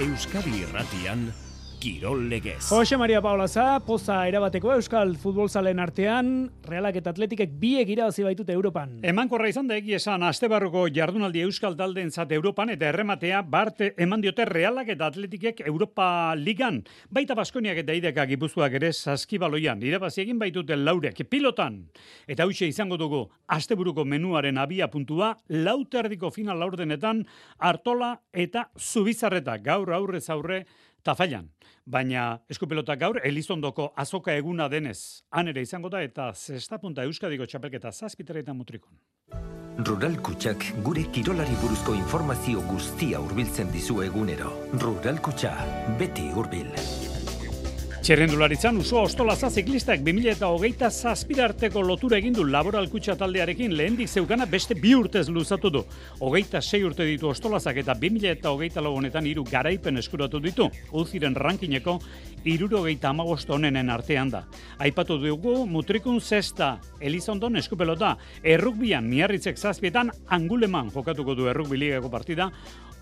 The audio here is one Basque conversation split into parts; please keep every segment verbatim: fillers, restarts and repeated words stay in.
Euskadi Irratian, Kirol Legez. Jose Maria Paolaza, poza erabateko euskal futbolzalen artean, Realak eta Atletikek biek irabazi baitute Europan. Emankorra izan da egia esan astebarruko jardunaldi euskal taldeentzat Europan eta errematea barte eman diote Realak eta Atletikek Europa Ligan. Baita Baskoniak eta Ideka Gipuzkoak ere saskibaloian irabazi egin baitute laurek pilotan. Eta hauxe izango dugu asteburuko menuaren abia puntua, lauterdiko final laurdenetan Artola eta Zubizarreta gaur aurrez aurre Tafallan. Baina eskupilotak gaur Elizondoko azoka eguna denez. Han ere izango da eta zestapunta Euskadiko txapelketa zazpitaretan mutrikon. Rural Kutxak gure kirolari buruzko informazio guztia hurbiltzen dizu egunero. Rural Kutxa, beti hurbil. Txerrendularitzan Usoa Ostolaza ziklistak bi mila hogeita zazpira arteko lotura egin du Laboral Kutxa taldearekin lehendik zeukana beste bi urtez luzatu du. Hogeita sei urte ditu Ostolazak eta bi mila hogeita lau honetan hiru garaipen eskuratu ditu. Uziren rankineko hirurogeita hamabost honenen artean da. Aipatu dugu Mutrikun zesta, Elizondon eskupelota, errukbian Miarritzek zazpietan Anguleman jokatuko du errukbi ligako partida,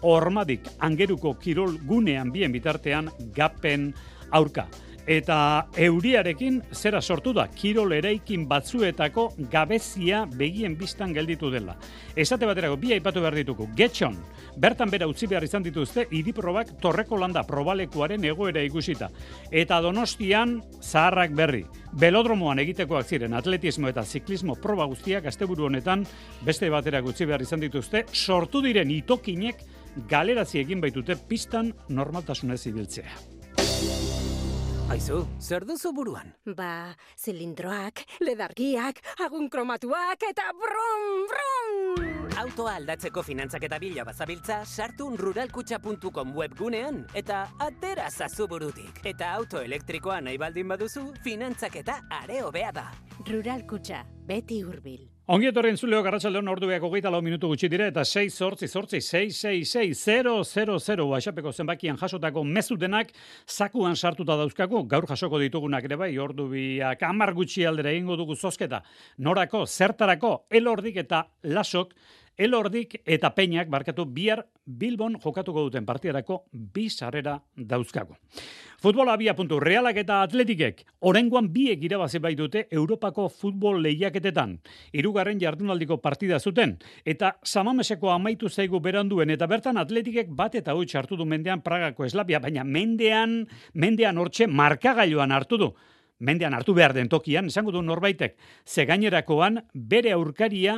Ormadik Angeruko kirol gunean bien bitartean Gapen aurka. Eta euriarekin zera sortu da, kirol eraikin batzuetako gabezia begien bistan gelditu dela. Esate baterako bi aipatu behar ditugu. Getxon, bertan bera utzi behar izan dituzte, hiriprobak Torreko Landa probalekuaren egoera ikusita. Eta Donostian, zaharrak berri. Belodromoan egitekoak ziren atletismo eta ziklismo proba guztiak asteburu honetan beste baterak utzi behar izan dituzte, sortu diren itokinek galerazi egin baitute pistan normaltasunez ibiltzea. Aizu, zer duzu buruan? Ba, zilindroak, ledargiak, agun kromatuak eta brum, brum! Autoa aldatzeko finantzak eta bila bazabiltza, sartu ruralkutxa puntu com webgunean eta atera zazu burutik. Eta auto elektrikoa nahi baldin baduzu, finantzak eta are hobea da. Ruralkutxa, beti hurbil. Ongi etorri entzuleo Garratxaldeon orduak hogeita lau minutu gutxi dire eta sei zortzi zortzi sei sei sei zero zero zero WhatsAppeko zenbakian jasotako mezu denak zakuan sartuta dauzkagu. Gaur jasoko ditugunak ere bai, ordu biak hamar gutxi aldera egingo dugu zozketa. Norako, zertarako, Elordik eta Lasok, Elordik eta Peñak barkatu bihar Bilbon jokatuko duten partidarako bi sarrera dauzkagu. Futbola abia puntu, Realak eta Atletikek oraingoan biek irabazi baitute Europako futbol lehiaketetan. Hirugarren jardunaldiko partida zuten eta Samameseko amaitu zaigu beranduen eta bertan Atletikek bat eta huts hartu du mendean Pragako Eslavia, baina mendean mendean hortxe markagailuan hartu du. Mendean hartu behar den tokian, esango du norbaitek, ze gainerakoan bere aurkaria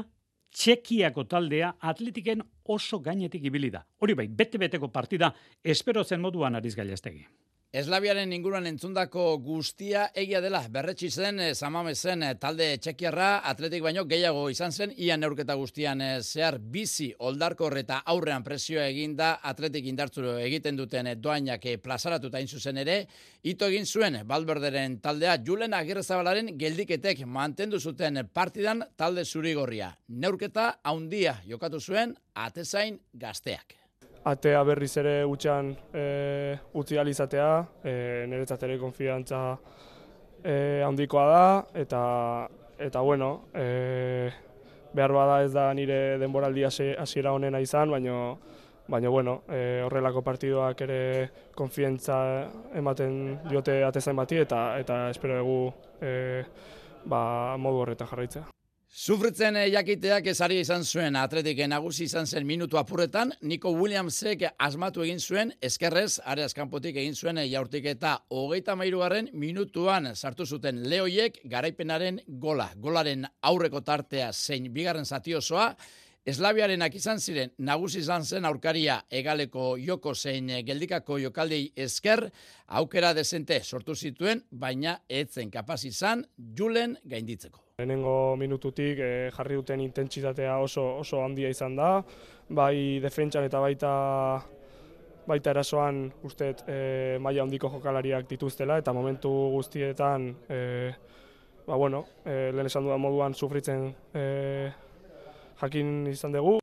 Txekiako taldea Atletiken oso gainetik ibili da. Hori bai, bete-beteko partida espero zen moduan Ariz Gallastegi. Eslaviaren inguruan entzundako guztia egia dela. Berretsi zen, Samamesen talde txekiarra, Atletik baino gehiago izan zen, ia neurketa guztian zehar bizi oldarkor eta aurrean presioa eginda Atletik indartzuro egiten duten doainak plazaratuta hain zuzen ere, ito egin zuen Valverderen taldea Julen Agirrezabalaren geldiketek mantendu zuten partidan talde zurigorria. Neurketa haundia jokatu zuen atezain gazteak. Atea berriz ere utxan e, utzi alizatea, e, niretzat ere konfiantza e, handikoa da, eta, eta bueno, e, behar bada ez da nire denboraldi hasiera honena izan, baina baina bueno, e, horrelako partidoak ere konfiantza ematen diote atezain bati, eta, eta espero dugu e, ba, modu horretan jarraitzea. Sufritzen jakiteak ezari izan zuen Atletik nagusi izan zen minutu apurretan, Nico Williamsek asmatu egin zuen, eskerrez, areaz kanpotik egin zuen jaurtik eta hogeita hamairugarren minutuan sartu zuten Leoiek garaipenaren gola. Golaren aurreko tartea zein bigarren zati osoa, Eslaviarenak izan ziren, nagusi izan zen aurkaria egaleko joko zein geldikako jokaldei esker, aukera dezente sortu zituen, baina etzen kapaz izan Julen gainditzeko. Lehenengo minututik eh, jarri duten intentsitatea oso oso handia izan da, bai defentsan eta baita baita erasoan usteet eh, maila handiko jokalariak dituztela eta momentu guztietan eh, ba bueno, eh, lehen esan dudan moduan sufritzen eh, jakin izan dugu.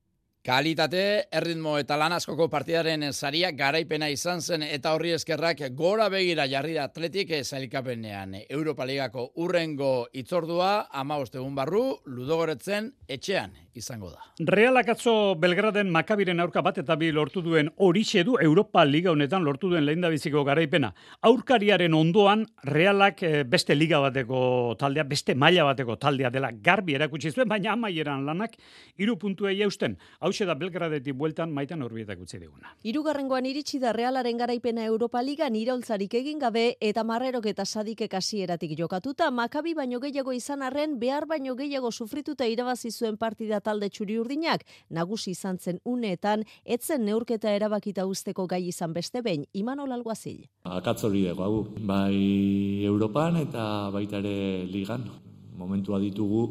Kalitate, erritmo eta lan askoko partidaren saria garaipena izan zen eta horri eskerrak gora begira jarri da Atletik sailkapenean. Europa Ligako urrengo itzordua hamabost egun barru Ludogoretzen etxean izango da. Realak atzo Belgraden Makabiren aurka bat eta bi lortu duen horixe du Europa Liga honetan lortu duen lehendabiziko garaipena. Aurkariaren ondoan Realak beste liga bateko taldea, beste maila bateko taldea dela garbi erakutsi zuen, baina amaieran lanak hiru puntuei eusten. Hauxe da Belgradetik bueltan Maitan Urbietak utzi diguna. Hirugarrengoan iritsi da Realaren garaipena Europa Ligan iraultzarik egin gabe eta Marrerok eta Sadikek hasieratik jokatuta, Makabi baino gehiago izan arren behar baino gehiago sufrituta irabazi zuen partida talde txuri-urdinak, nagusi izan zen uneetan, etzen neurketa erabakita usteko gai izan beste behin, Imanol Alguazil. Akatz hori dugu, hau, bai Europan eta baita ere Ligan. Momentua ditugu,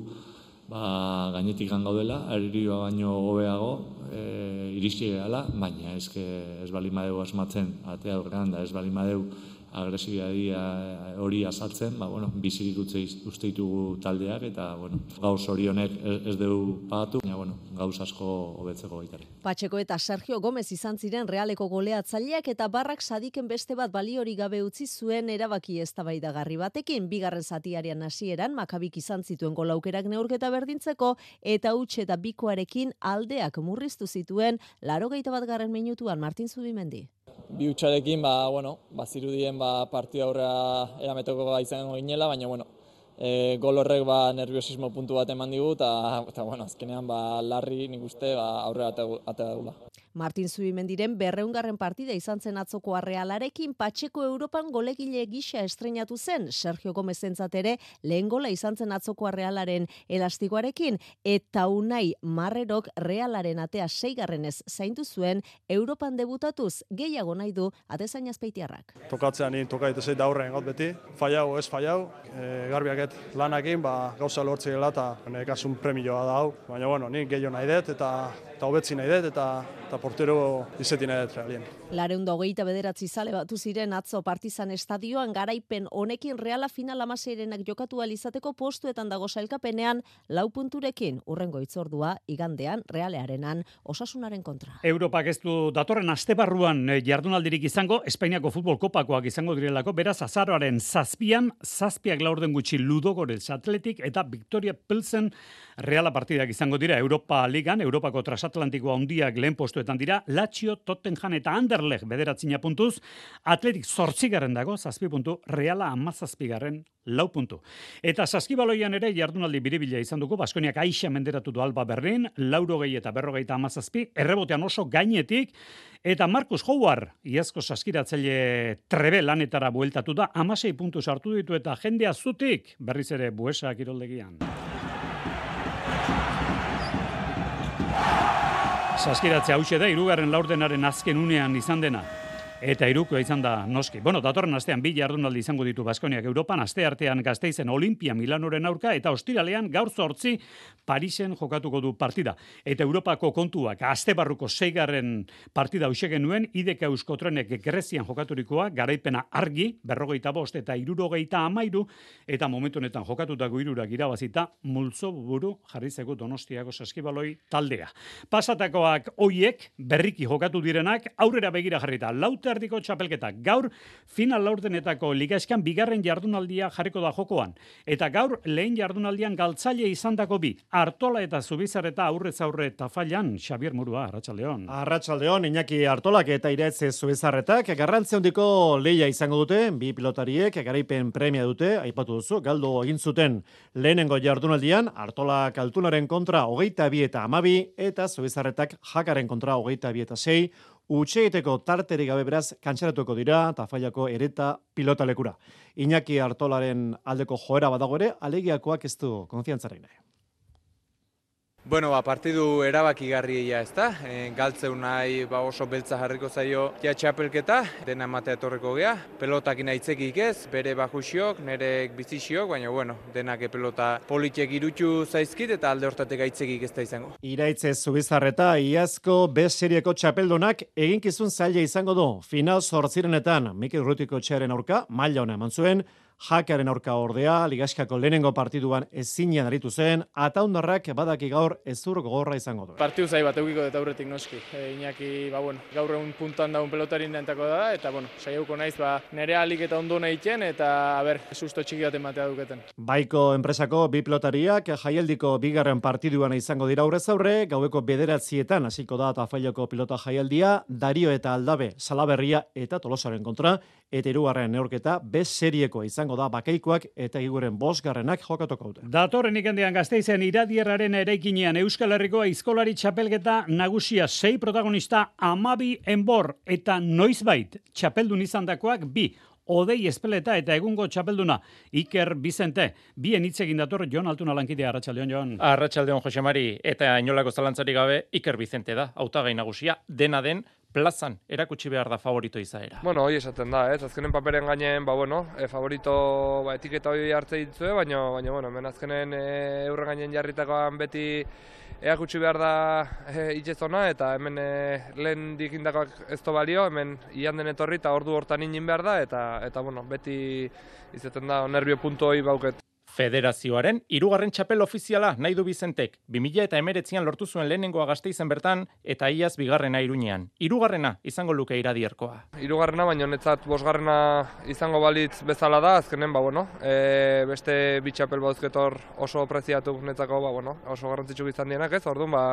ba, gainetik gaudela, aririoa baino hobeago, e, iritsi gehala, baina eske ez bali madeu asmatzen, atea aurrean da ez bali madeu agresibidadia hori azaltzen, ba, bueno, bizirik utze uste ditugu taldeak, eta, bueno, gauz hori honek ez dugu pagatu, baina, bueno, gauz asko hobetzeko baitare. Patxeko eta Sergio Gomez izan ziren Realeko goleatzaileak eta Barrak Sadiken beste bat baliori gabe utzi zuen erabaki eztabaidagarri batekin, bigarren zatiaren hasieran Makabik izan zituen golaukerak neurketa berdintzeko eta huts eta bikoarekin aldeak murriztu zituen laurogeita batgarren minutuan Martin Zubimendi. Bi hutsarekin, ba, bueno, bazirudien ba, partida aurrera erameteko gai izango ginela, baina, bueno, e, gol horrek ba, nerviosismo puntu bat eman digu, eta, bueno, azkenean ba, larri nik uste ba, aurrera atea dugula. Martin Zubimendiren berreungarren partida izan zen atzoko Realarekin Patxeko Europan golegile gisa estreinatu zen, Sergio Gomezentzat ere lehen gola izan zen atzoko Realaren elastikoarekin, eta Unai Marrerok Realaren atea seigarrenez zaindu zuen Europan debutatuz gehiago nahi du atezain azpeitiarrak. Tokatzean ni toka dituzeit da aurren got beti, fallau ez fallau, e, garbiaket lanakin, ba, gauza lortzi gela eta nekasun premioa da hau, baina bueno, ni gehiago nahi dut eta eta hobetzi nahi dut eta eta portero izeti nahi dut Realien. Lareun da hogeita bederatzi zale batu ziren atzo Partizan estadioan garaipen honekin Reala final amaseirenak jokatu alizateko postuetan dago sailkapenean lau punturekin urrengo itzordua igandean Realearenan Osasunaren kontra. Europak ez du datorren astebarruan jardunaldirik izango, Espainiako futbol kopakoak izango direlako, beraz azaroaren zazpian, zazpiak laurden gutxi Ludogorets Athletic eta Victoria Pilsen Reala partidak izango dira Europa Ligan, Europako transatlantikoa handiak lehen postuetan dira, Lazio, Tottenham eta Anderlecht bederatzina puntuz, Athletic zortzigarren dago, zazpi puntu, Reala hamazazpigarren lau puntu. Eta saskibaloian ere jardunaldi biribila izan dugu, Baskoniak aixa menderatu du Alba Berlin, laurogei eta berrogeita hamazazpi, errebotean oso gainetik, eta Marcus Howard, iazko saskiratzaile trebe lanetara bueltatu da, hamasei puntu sartu ditu eta jendea zutik, berriz ere Buesa kiroldegian. Saskiratze hauxe da, hirugarren laurdenaren azken unean izan dena. Eta hirukoa izan da noski. Bueno, datorren astean bi jardunaldi izango ditu Baskoniak Europan, aste artean Gasteizen Olimpia Milanoren aurka, eta ostiralean gaur zortzi Parisen jokatuko du partida. Eta Europako kontuak, aste barruko seigarren partida hauxe genuen, ideka Euskotrenek Grezian jokaturikoa, garaipena argi, berrogeita bost eta hirurogeita hamairu, eta momentu honetan jokatutako hirurak irabazita, multzo buru jarrizeko Donostiako saskibaloi taldea. Pasatakoak hoiek, berriki jokatu direnak, aurrera begira jarrita, laut erdiko txapelketa. Gaur final laurdenetako ligaeskan bigarren jardunaldia jarriko da jokoan. Eta gaur lehen jardunaldian galtzaile izandako bi. Artola eta Zubizarreta aurrez aurre tafailan, Xabier Murua, Arratsaldeon. Arratsaldeon, Iñaki Artolak eta Iraetze Zubizarretak garrantzi handiko lehia izango dute, bi pilotariek garaipen premia dute, aipatu duzu, galdu egin zuten lehenengo jardunaldian, Artolak Altunaren kontra hogeita bi eta hamabi, eta Zubizarretak Jakaren kontra hogeita bi eta sei, utxeiteko tarterik gabe beraz kantxaratuko dira Tafallako ereta pilotalekura. Iñaki Artolaren aldeko joera badago ere, alegiakoak ez du konfiantzaren nahi. Bueno, ba, partidu erabakigarria ez da, e, galtzeu nahi ba, oso beltza jarriko zaio ja txapelketa, dena ematea etorriko gea, pelotakin aitzekik ez, bere bajusiok, nire bizixiok, baina bueno, denak pelota politiek irutu zaizkit eta alde hortatek aitzekik ez da izango. Iraitze Zubizarreta, iazko B serieko txapeldunak eginkizun zaila izango du, final zortzirenetan Mikel Rutiko txearen aurka, maila ona eman zuen, Jakearen aurka ordea, Ligaskako lehenengo partiduan ezinean aritu zen, Ataundarrak badaki gaur ezur gogorra izango du. Partiu zai bat eukiko eta aurretik noski. E, Iñaki, ba, bueno, gaur egun puntan daun pelotarin dentako da, eta bueno, saiauko naiz, ba, nere alik eta ondo egiten eta, a ber, susto txiki bat ematea duketen. Baiko enpresako bi pilotariak jaialdiko bigarren partiduan izango dira aurrez aurre, gaueko bederatzietan hasiko da Tafailoko pilota jaialdia, Dario eta Aldabe, Salaberria eta Tolosaren kontra, eta hirugarren neurketa B seriekoa izango da Bakaikoak eta Iguren bosgarrenak jokatuko dute. Datorren igandean Gasteizen iradierraren eraikinean Euskal Herriko aizkolari txapelketa nagusia sei protagonista amabi enbor eta noizbait txapeldun izandakoak bi. Odei Espeleta eta egungo txapelduna Iker Bizente. Bien hitz egin dator Jon Altuna lankidea. Arratsaldeon, Jon. Arratsaldeon, Jose Mari, eta inolako zalantzarik gabe Iker Bizente da hautagai nagusia, dena den plazan erakutsi behar da favorito izaera. Bueno, hori esaten da, ez? Azkenen paperen gainen, ba bueno, e, favorito ba, etiketa hori hartze ditzue, baina baina bueno, hemen azkenen e, eurren gainen jarritakoan beti erakutsi behar da e, itxezona, eta hemen e, lehen dikindakoak ez to balio, hemen ian den etorri eta ordu hortan inin behar da, eta eta bueno, beti izaten da nervio puntu hori bauket. Federazioaren hirugarren txapel ofiziala nahi du Bizentek. bi mila hemeretzian lortu zuen lehenengoa Gasteizen bertan eta iaz bigarrena Iruñean. Hirugarrena izango luke Iradierkoa. Hirugarrena, baina netzat bosgarrena izango balitz bezala da, azkenen ba bueno, e, beste bi txapel bauzketor oso preziatu netzako, ba bueno, oso garrantzitsu izan dienak, ez? Orduan ba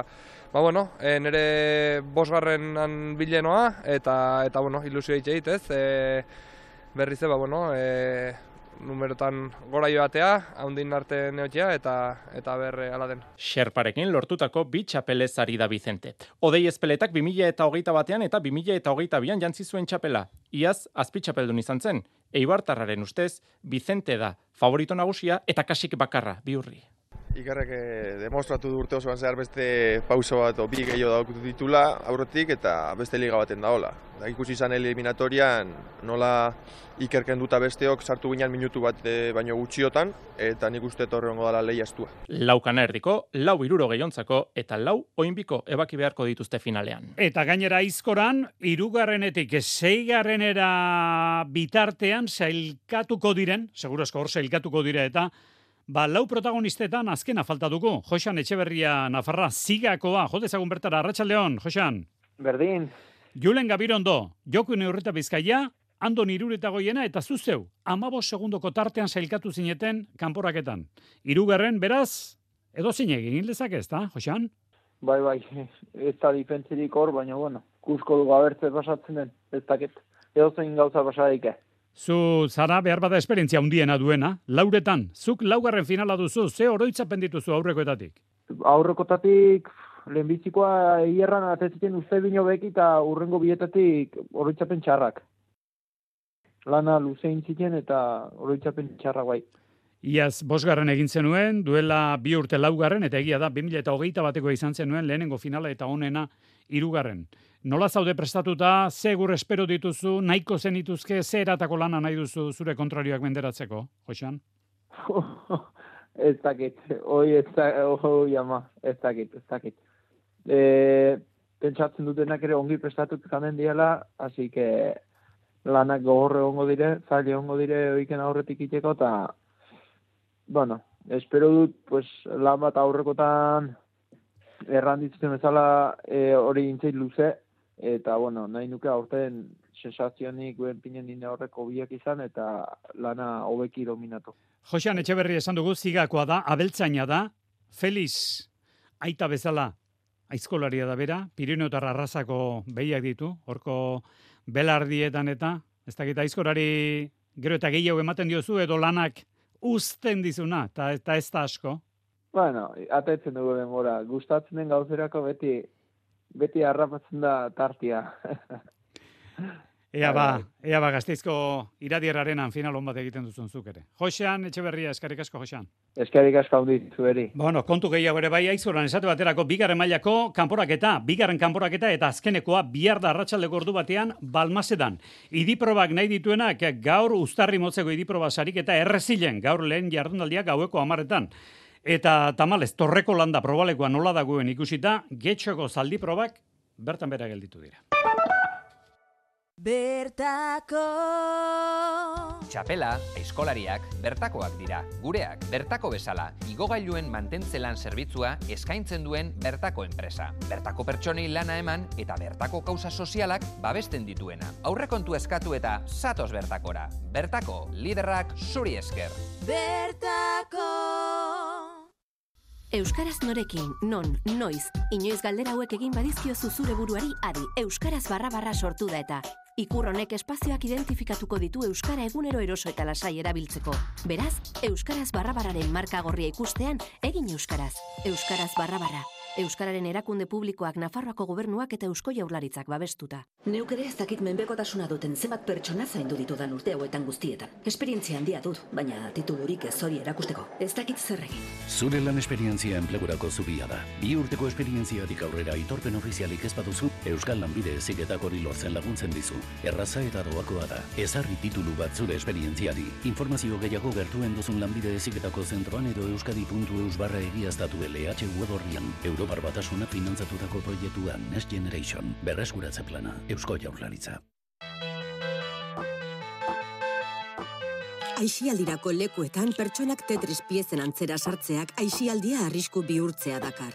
ba bueno, e, nere bosgarrenan bilenoa eta eta bueno, ilusio egit, ez? E, berriz ba bueno, e, numerotan gora joatea, haundin arte neotea eta eta berre ala den. Xerparekin lortutako bi txapelez ari da Bizente. Odei Espeletak bi mila hogeita batean eta bi mila hogeita bian jantzi zuen txapela. Iaz azpitxapeldun izan zen. Eibartarraren ustez, Bizente da favorito nagusia eta kasik bakarra Biurri. Ikerrek eh, demostratu du urte osoan zehar beste pauso bat o bi gehiago daukutu ditula aurretik eta beste liga baten daola. Da ikusi izan eliminatorian nola Iker kenduta besteok sartu ginean minutu bat e, baino gutxiotan eta nik uste torrengo dela leia estua. Laukana erdiko, lau iruro gehiontzako eta lau oinbiko ebaki beharko dituzte finalean. Eta gainera aizkoran, irugarrenetik seigarrenera bitartean sailkatuko diren, segurazko hor sailkatuko dire eta Ba, lau protagonistetan azkena falta dugu. Joxan Etxeberria Nafarra zigakoa. Jodezagun bertara, Arratsaldeon, Joxan. Berdin. Julen Gabirondo, Joku Neurreta Bizkaia, Andon Irureta Goiena eta zuzeu, amabos segundoko tartean sailkatu zineten kanporaketan. Hirugarren beraz, edo zine egin lezak ez da, Joxan? Bai, bai, ez da difentzirik hor, baina, bueno, kusko dugu abertze pasatzen den, ez daket, edo zein gauza pasadik. Zu zara behar bada esperientzia handiena duena, lauretan, zuk laugarren finala duzu, ze oroitzapen dituzu aurrekoetatik? Aurrekoetatik, lehenbizikoa hierran atezitzen uste bino beki eta urrengo bietatik oroitzapen txarrak. Lana luzein ziken eta oroitzapen txarrak bai. Iaz, bosgarren egin zenuen, duela bi urte laugarren, eta egia da, bi mila hogeita bateko izan zenuen, lehenengo finala eta honena hirugarren. Nola zaude prestatuta, segur espero dituzu, nahiko zenituzke, ze eratako lana nahi duzu zure kontrarioak menderatzeko, Joxan? Ez dakit, hoi ez dakit, hoi ama, ez dakit, ez dakit. E, pentsatzen dutenak ere ongi prestatut kanen diela, hasi que lanak gogorre ongo dire, zaila ongo dire oiken aurretik iteko, eta, bueno, espero dut, pues, lan bat aurrekotan erranditzen bezala e, hori intzeit luze, eta, bueno, nahi nuke aurten sensazionik guen pinen dine horreko biak izan, eta lana hobeki dominatu. Joxan Etxeberri esan dugu, zigakoa da, abeltzaina da, Feliz aita bezala, aizkolaria da bera, Piriniotar arrazako behiak ditu, horko belardietan eta, ez dakit aizkolari gero eta gehiago ematen diozu, edo lanak uzten dizuna, eta ez da asko. Bueno, atetzen dugu denbora, gustatzen den gauzerako beti beti harrapatzen da tartia. Ea ba, ea ba, Gasteizko iradierrarenan final hon bat egiten duzun zuk ere. Joxean Etxeberria, eskerrik asko, Joxean. Eskerrik asko handi zueri. Bueno, kontu gehiago ere bai, aizoran esate baterako bigarren mailako kanporaketa, bigarren kanporaketa eta azkenekoa bihar da arratsaldeko ordu batean Balmasedan. Idiprobak nahi dituenak gaur uztarri motzeko idiproba sariketa errezilen, gaur lehen jardunaldiak gaueko hamarretan. Eta tamalez, Torreko landa probalekoa nola dagoen ikusita, Getxoko zaldi probak bertan bera gelditu dira. bertako. Txapela, aizkolariak, bertakoak dira. Gureak, bertako bezala, igogailuen mantentzelan zerbitzua eskaintzen duen bertako enpresa. Bertako pertsonei lana eman eta bertako kausa sozialak babesten dituena. Aurrekontu eskatu eta zatoz bertakora. Bertako, liderrak zuri esker. Bertako. Euskaraz norekin, non, noiz, inoiz galdera hauek egin badizkiozu zure buruari adi, euskaraz barra barra sortu da eta. Ikur honek espazioak identifikatuko ditu euskara egunero eroso eta lasai erabiltzeko. Beraz, euskaraz barra barraren marka gorria ikustean, egin euskaraz. Euskaraz barra barra. Euskararen erakunde publikoak Nafarroako gobernuak eta Eusko Jaurlaritzak babestuta. Neuk ere ez dakit menpekotasuna duten zenbat pertsona zaindu ditudan urte hauetan guztietan. Esperientzia handia dut, baina titulurik ez hori erakusteko. Ez dakit zer egin. Zure lan esperientzia enplegurako zubia da. Bi urteko esperientziatik aurrera aitorpen ofizialik ez baduzu, Euskal Lanbide Heziketak hori lortzen laguntzen dizu. Erraza eta doakoa da. Ezarri titulu bat zure esperientziari. Informazio gehiago gertuen duzun Lanbide Heziketako zentroan edo euskadi puntu eus barra egiaztatu L H web orrian. Europar Batasuna finantzatutako proiektua Next Generation. Berreskuratze plana. Eusko Jaurlaritza. Aisialdirako lekuetan pertsonak Tetris piezen antzera sartzeak aisialdia arrisku bihurtzea dakar.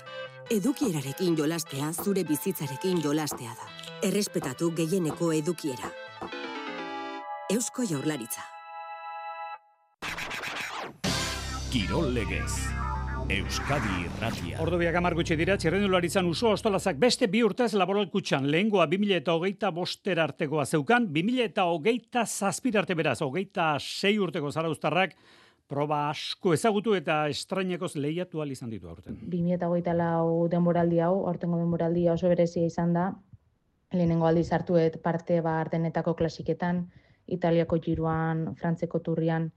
Edukierarekin jolastea zure bizitzarekin jolastea da. Errespetatu gehieneko edukiera. Eusko Jaurlaritza. Kirol legez. Euskadi Irratia. Ordu biak hamar gutxi dira, txirrendularitzan uso ostolazak beste bi urtez laboral kutxan. Lehengoa bi mila hogeita boster artekoa zeukan, bi mila hogeita zazpir arte beraz, hogeita sei urteko zarauztarrak, proba asko ezagutu eta estrainekoz lehiatu ahal izan ditu aurten. bi mila hogeita lau denboraldi hau, aurtengo denboraldia oso berezia izan da, lehenengo aldiz hartuet parte ba Ardenetako klasiketan, Italiako giroan, Frantzeko turrian,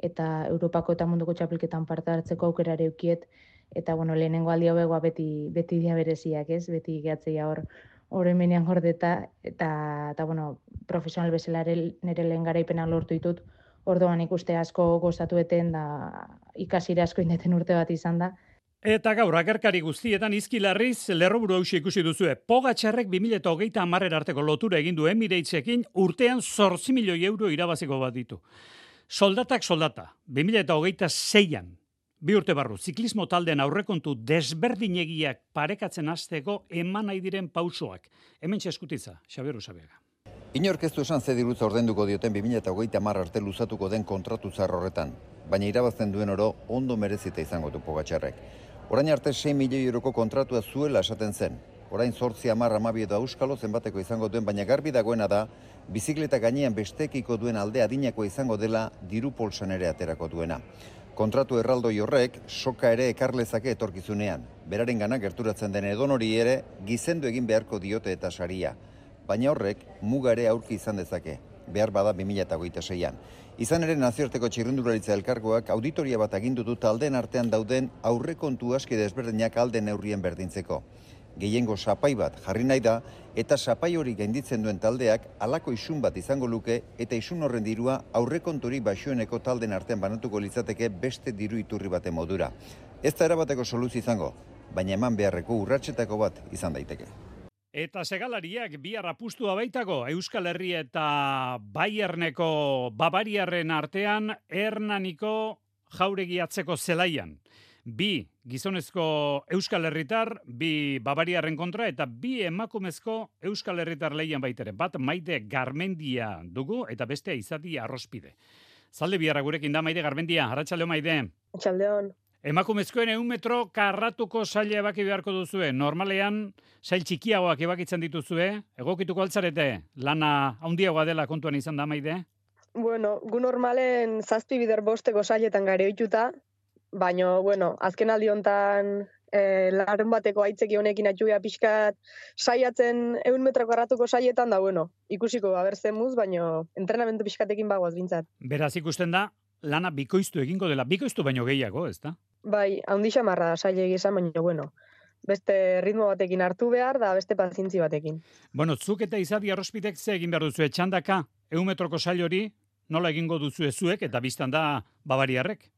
eta Europako eta munduko txapelketan parte hartzeko aukera ere eukiet, eta bueno, lehenengo aldi hauek beti beti dia bereziak, ez? Beti gehatzeia hor hor hemenean gordeta eta eta bueno, profesional bezala nere lehen garaipena lortu ditut. Orduan ikuste asko gozatueten da ikasire asko indeten urte bat izan da. Eta gaur, agerkari guztietan izkilarriz, lerroburu hausi ikusi duzue. Pogačarrek bi mila hogeita hamarrer arteko lotura egin du Emirates'ekin urtean zortzi milioi euro irabaziko bat ditu. Soldatak soldata, bi mila hogeita seian, bi urte barru, ziklismo taldean aurrekontu desberdinegiak parekatzen hasteko eman nahi diren pausoak. Hemen txeskutitza, Xabier Usabiaga. Inork ez du esan ze dirutza ordainduko dioten bi mila hogeita hamar arte luzatuko den kontratu zahar horretan, baina irabazten duen oro ondo merezita izango du Pogačarrek. Orain arte sei milioi euroko kontratua zuela esaten zen. Orain zortzi hamar hamabi edo auskalo zenbateko izango duen, baina garbi dagoena da, bizikleta gainean bestekiko duen alde adinako izango dela diru polsan ere aterako duena. Kontratu erraldoi horrek soka ere ekarlezake etorkizunean. Beraren gana gerturatzen den edonori ere gizendu egin beharko diote eta saria. Baina horrek muga ere aurki izan dezake, behar bada bi mila hogeita seian. Izan ere nazioarteko txirrindularitza elkargoak auditoria bat agindu du taldeen artean dauden aurrekontu aski desberdinak alde neurrien berdintzeko. Gehiengo sapai bat jarri nahi da eta sapai hori gainditzen duen taldeak halako isun bat izango luke eta isun horren dirua aurrekonturi baxueneko talden artean banatuko litzateke beste diru iturri baten modura. Ez da erabateko soluzio izango, baina eman beharreko urratsetako bat izan daiteke. Eta segalariak bihar apustua baitako Euskal Herri eta Bayerneko Bavariarren artean Hernaniko jauregi atzeko zelaian. Bi gizonezko Euskal Herritar, bi Bavariarren kontra eta bi emakumezko Euskal Herritar lehian baitere. Bat Maite Garmendia dugu eta bestea Izadi Arrospide. Zalde biharra gurekin da Maite Garmendia, arratsaldeo Maite. Arratsaldeon. Emakumezkoen ehun metro karratuko saila ebaki beharko duzue. Normalean, sail txikiagoak ebakitzen dituzue. Egokituko altzarete, lana handiagoa dela kontuan izan da, Maide? Bueno, gu normalen zazpi bider bosteko sailetan gare ohituta, baina, bueno, azken aldi hontan e, larun bateko aitzeki honekin atxugia pixkat saiatzen ehun metro karratuko sailetan da, bueno, ikusiko abertzen muz, baina entrenamendu pixkatekin bagoaz bintzat. Beraz ikusten da, lana bikoiztu egingo dela, bikoiztu baino gehiago, ez da? Bai, handi xamarra da saile egizan, baina, bueno, beste ritmo batekin hartu behar, da beste pazientzi batekin. Bueno, zuk eta Izadi Arrospidek ze egin behar duzu, txandaka, ehun metroko sail hori, nola egingo duzu zuek eta biztan da Bavariarrek?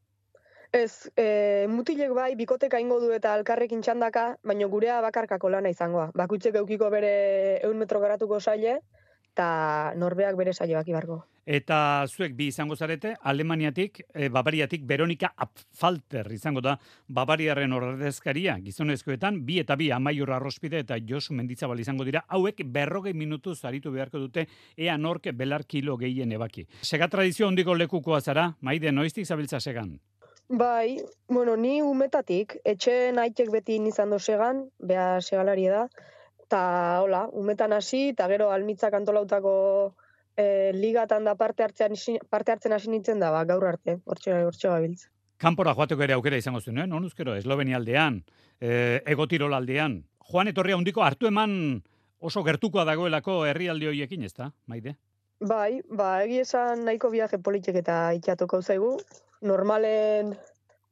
Ez, e, mutilek bai, bikoteka ingo du eta alkarrekin txandaka, baina gurea bakarkako lana izangoa. Bakuitzek eukiko bere ehun metro garatuko saile, eta norbeak bere saioak ibargo. Eta zuek bi izango zarete, Alemaniatik, e, Bavariatik, Veronika Apfalter izango da Bavariaren ordezkaria, gizonezkoetan, bi eta bi Amaiur Arrospide eta Josu Mendizabal izango dira, hauek berrogei minutuz aritu beharko dute, ea nork belar kilo gehien ebaki. Sega tradizio hondiko lekukoa zara, Maide, noiztik zabiltza segan? Bai, bueno, ni umetatik, etxeen aitek beti izan do segan, bea segalari da, eta hola, umetan hasi, eta gero almitzak antolautako E, ligatan da parte hartzen parte hartzen hasi nintzen da, ba, gaur arte, hortxe hortxe gabiltza. Kanpora joateko ere aukera izango zuen, eh? Nonuzkero, Eslovenia aldean, e, Egotirol aldean. Joan etorria handiko hartu eman oso gertukoa dagoelako herrialde horiekin, ezta, Maide? Bai, ba, egi esan nahiko viaje politik eta itxatuko zaigu. Normalen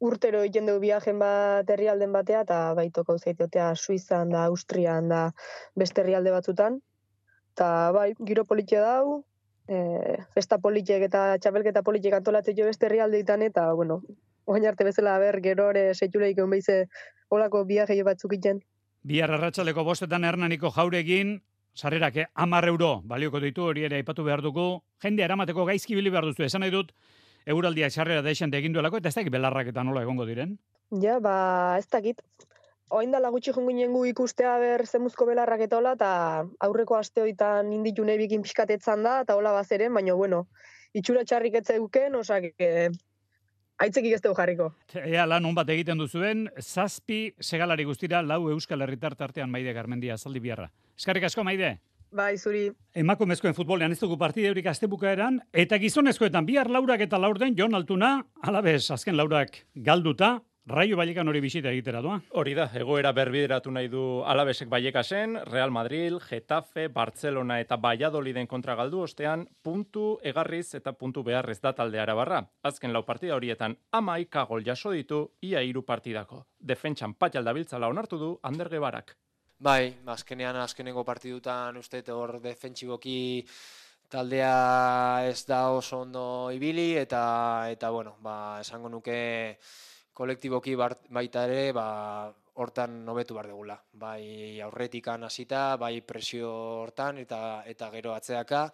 urtero egiten dugu viajen bat herrialden batea, eta baitoko zaitotea Suizan da, Austrian da, beste herrialde batzutan. Eta bai, giro politia dau, E, festa politiek eta txapelketa politiek antolatzen jo beste herrialdeetan eta, bueno, oain arte bezala ber, gero ere seituleik egon behize olako viaje batzuk iten. Bihar arratsaldeko bostetan Hernaniko Jauregin, sarrerak eh, hamar euro balioko ditu, hori ere aipatu behar dugu, jende eramateko gaizki bili behar duzu, esan nahi dut, euraldiak sarrera deixen egin duelako, eta ez dakit belarrak eta nola egongo diren? Ja, ba, ez dakit. Oain dala gutxi jongo inengu ikustea ber zemuzko belarrak eta hola, eta aurreko aste hoitan inditu nahi bikin pixkatetzan da, eta hola bazeren, baina, bueno, itxura txarrik etzeuken, osak, e, aitzekik ez dugu jarriko. Ea lan hon bat egiten duzuen, zazpi segalari guztira, lau Euskal Herritar tartean Maide Garmendia, zaldi biharra. Eskarrik asko, Maide. Bai, zuri. Emakumezkoen futbolean ez dugu partideurik astebukaeran, eta gizonezkoetan bihar laurak eta laurden, Jon Altuna, alabez, azken laurak galduta, Raio Vallekan hori bisita egitera doa. Hori da, egoera berbideratu nahi du Alavesek Vallekasen, Real Madrid, Getafe, Barcelona eta Valladoliden kontra galdu ostean, puntu egarriz eta puntu beharrez da talde arabarra. Azken lau partida horietan hamaika gol jaso ditu, ia hiru partidako. Defentsan patxalda biltzala onartu du Ander Gebarak. Bai, azkenean azkenengo partidutan uste hor defentsiboki taldea ez da oso ondo ibili eta eta bueno, ba esango nuke kolektiboki baita ere, ba, hortan hobetu behar dugula. Bai aurretikan hasita, bai presio hortan eta eta gero atzeaka,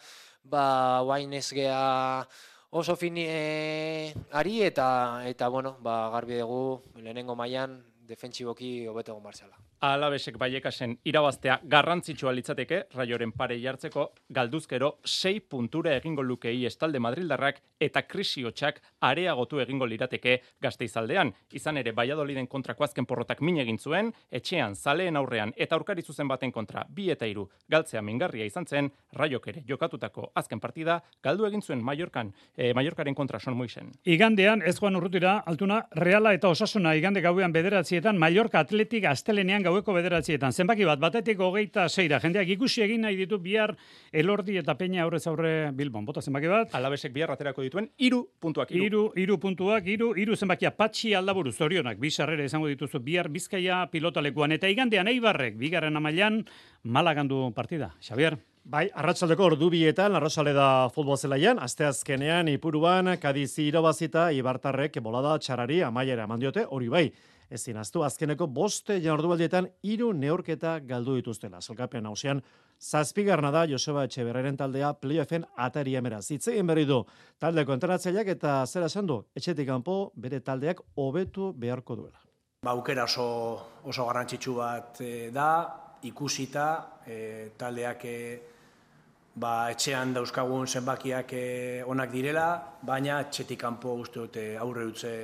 ba guain ez gea oso fini e, ari eta eta bueno, ba garbi dugu lehenengo mailan defentsiboki hobeto egon barzela. Alavesek Vallekasen irabaztea garrantzitsua litzateke, Raioren pare jartzeko, galduzkero sei puntura egingo lukei estalde Madrildarrak eta krisi hotxak areagotu egingo lirateke Gasteizaldean. Izan ere, Valladoliden kontrako azken porrotak min egin zuen, etxean, zaleen aurrean eta aurkari zuzen baten kontra bi eta hiru galtzea mingarria izan zen, Raiok ere jokatutako azken partida galdu egin zuen Mallorcan, eh, Mallorcaren kontra Son Moixen. Igandean, ez joan urrutira, Altuna, Reala eta Osasuna igande gauean bederatzietan, Mallorca Atletik astelenean gaueko bederatzietan. Zenbaki bat, batetik hogeita seira. Jendeak ikusi egin nahi ditu bihar Elordi eta Peña aurrez aurre Bilbon. Bota zenbaki bat. Alavesek bihar aterako dituen hiru puntuak. Hiru hiru puntuak, hiru hiru zenbakia Patxi Aldaburu zorionak. Bi sarrera izango dituzu bihar Bizkaia pilotalekuan eta igandean Eibarrek bigarren amailan Malagandu partida. Xabier. Bai, arratsaldeko ordubietan, Arrosaleda futbol zelaian, asteazkenean Ipuruan, Kadiz irabazita, Ibartarrek bolada txarari amaiera eman diote, hori bai. Ezin aztu azkeneko boste jardunaldietan hiru neurketa galdu dituztela. Sailkapen nagusian zazpigarrena da Joseba Etxeberraren taldea playoffen ataria meraz. Hitz egin berri du taldeko entrenatzaileak eta zera esan du etxetik kanpo bere taldeak hobetu beharko duela. Ba, aukera oso, oso garrantzitsu bat e, da, ikusita e, taldeak e, ba, etxean dauzkagun zenbakiak e, onak direla, baina etxetik kanpo uste dute aurre utze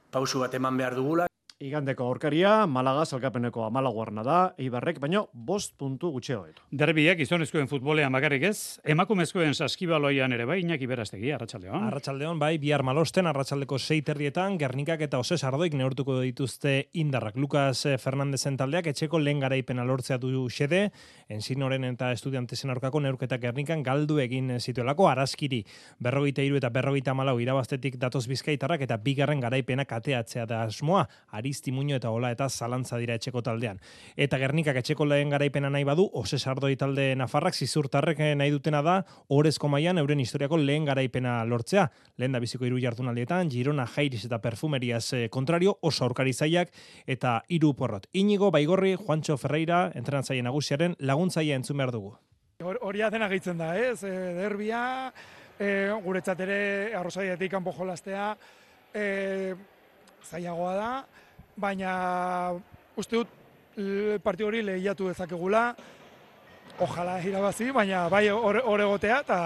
pausu bat eman behar dugula. Igandeko aurkaria, Malaga salkapeneko hamalaugarrena da, Eibarrek, baino bost puntu gutxeo ditu. Derbiak gizonezkoen futbolean bakarrik ez, emakumezkoen saskibaloian ere bai, Iñaki Berastegi, arratsaldeon. Arratsaldeon bai, bihar malosten, arratsaldeko sei terrietan, Gernikak eta Oses Ardoik neurtuko dituzte indarrak. Lucas Fernandezen taldeak etxeko lehen garaipena lortzea du xede, Ensinoren eta Estudiantesen aurkako neurketak Gernikan galdu egin zituelako, Araskiri berrogeita hiru eta berrogeita hamalau irabaztetik datoz Bizkaitarrak eta bigarren garaipena kateatzea da asmoa, Aristi Muño eta Ola eta zalantza dira etxeko taldean. Eta Gernikak etxeko lehen garaipena nahi badu, Oses Ardoi talde nafarrak zizurtarrek nahi dutena da, orezko mailan euren historiako lehen garaipena lortzea. Lehen da biziko hiru jardunaldietan, Girona, Jairis eta Perfumeriaz kontrario, oso aurkari zaiak eta hiru porrot. Inigo Baigorri, Juancho Ferreira, entrenatzaile nagusiaren laguntzaile entzun behar dugu. Hori dena gehitzen da, ez? E, derbia, e, guretzat ere arrozaiatik kanpo jolastea e, zailagoa da, baina uste dut partidu hori lehiatu dezakegula, ojala irabazi, baina bai hor egotea, eta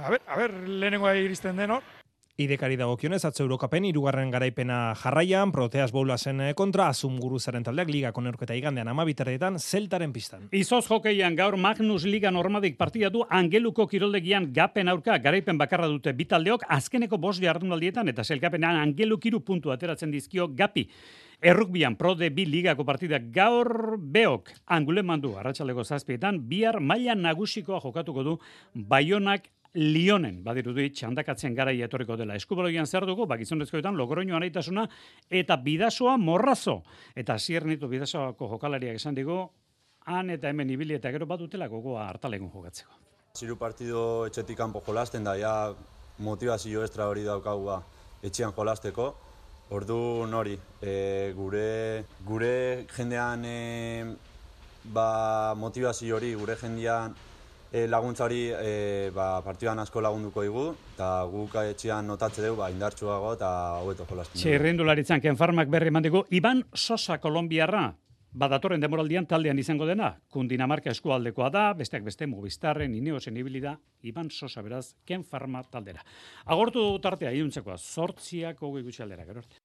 a ber, a ber, lehenengoa iristen den hor. Idekari dagokionez, atzo Eurokapen hirugarren garaipena jarraian, Proteas Boulasen kontra, Azumguruzaren taldeak ligako neurketa igandean amabiterretan, zeltaren pistan. Izoz hokeian gaur Magnus Liga Normadik partida du Angeluko kiroldegian gapen aurka garaipen bakarra dute bitaldeok, azkeneko bost jardunaldietan eta zelkapenean Angeluk hiru puntu ateratzen dizkio gapi. Errukbian Pro de bi ligako partidak gaur beok Anguleman du arratsaldeko zazpietan, bihar maila nagusikoa jokatuko du Baionak Lionen, badirudi txandakatzen garaia etorriko dela. Eskubaloian zer dugu, bakizonezkoetan Logroño anaitasuna eta Bidasoa Morrazo. Eta ziernitu Bidasoako jokalariak esan digu, han eta hemen ibili eta gero bat dutela gogoa hartalegun jokatzeko. Ziru partido etxetik kanpo jolasten da, ja motivazio extra hori daukagu etxean jolasteko. Ordu nori, e, gure, gure jendean e, ba, motivazio hori, gure jendean E, laguntza hori e, ba, partidan asko lagunduko digu, eta guk etxean notatze dugu ba, indartsuago eta hobeto jolasten dugu. Txirrindularitzan Ken Farmak berri eman digu, Iban Sosa Kolombiarra, badatorren demoraldian taldean izango dena, Kundinamarka eskualdekoa da, besteak beste Movistarren, Ineosen ibili da, Iban Sosa beraz, Ken Farma taldera. Agortu tartea, iduntzekoa, zortziak hogei gutxi aldera, gero arte.